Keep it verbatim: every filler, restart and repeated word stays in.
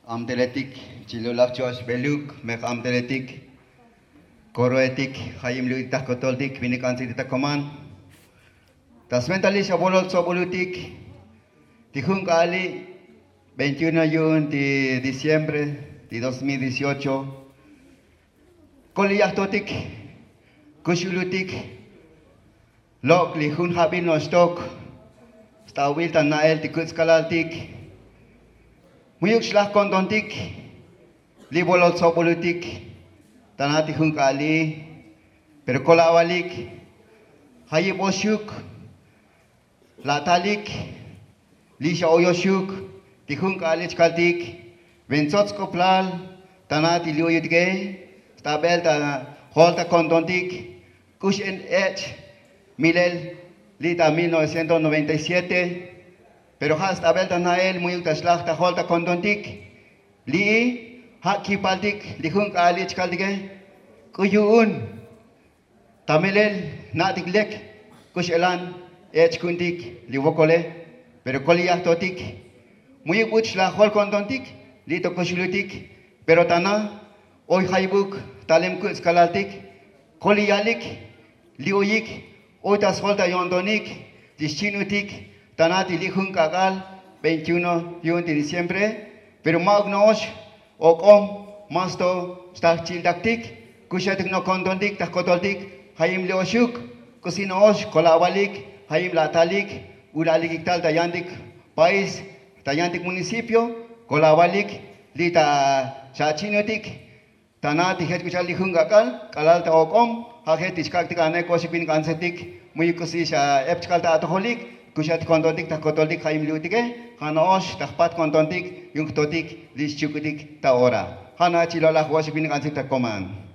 Amteletik chilulaj cho'ox beluk me k'amteletik koroetik jayim lu'utik ta jkotoltik vinik k'ansetik ta koman. Ta sventalil xa bolol tsobolutik ti jun k'a'ali' veintiuno yu'un ti diciembre ti dos mil dieciocho. Koli yajtotik kuxulutik lok' li jun jabil no'oxtok stavbil ta na'el ti kuts' kalaltik. Mu'yuk xlaj kontontik li bolol tsobolutik ta na ti jun k'a'ali'. Pero kol avalik jayib oxuk la'talik li xa oyoxuk ti jun k'a'ali' chkaltik. Ventsots k'oplal ta na ti li oyutike stavbel ta jol ta kontontik k'ux en ech' milel li' ta mil novecientos noventa y siete. Pero ja' stavbel ta na'el mu'yuk ta xlaj ta jol ta kontontik li'i ja' kipaltik li jun k'a'ali' chkaltike. K'u yu'un ta melel jna'tik lek k'u x'elan ech' ku'untik li vokole. Pero koli yajtotik mu'yuk buch xlaj jol kontontik li' to kuxulutik. Pero ta na oy jayibuk talem kuts' kalaltik koli yalik li oyik oy ta sjol ta yo'ntonik ti xchinutik ta na ti li' jun k'ak'al veintiuno yu'un ti diciembre. Pero ma'uk no'ox ok'om mas to xtal jchiltaktik. Kuxetik no' kontontik ta jkotoltik jayim li oxuk k'usi no'ox kol avalik jayim la'talik ulalikik tal ta yantik país ta yantik municipio. Kol avalik li' ta xachinutik ta na ti jech k'u cha'al li jun k'ak'al k'alal ta ok'om ja' jech ti xkak'tik ane koxik vinik k'ansetik. Mu'yuk k'usi xa ep chkal ta atojolik kuxetik kontontik ta jkotoltik jayim li utike ja' no'ox ta jpat kontontik yu'un jtotik li xchuk'utik ta ora. Ja' na' chilolaj vo'oxik vinik k'ansetik ta koman.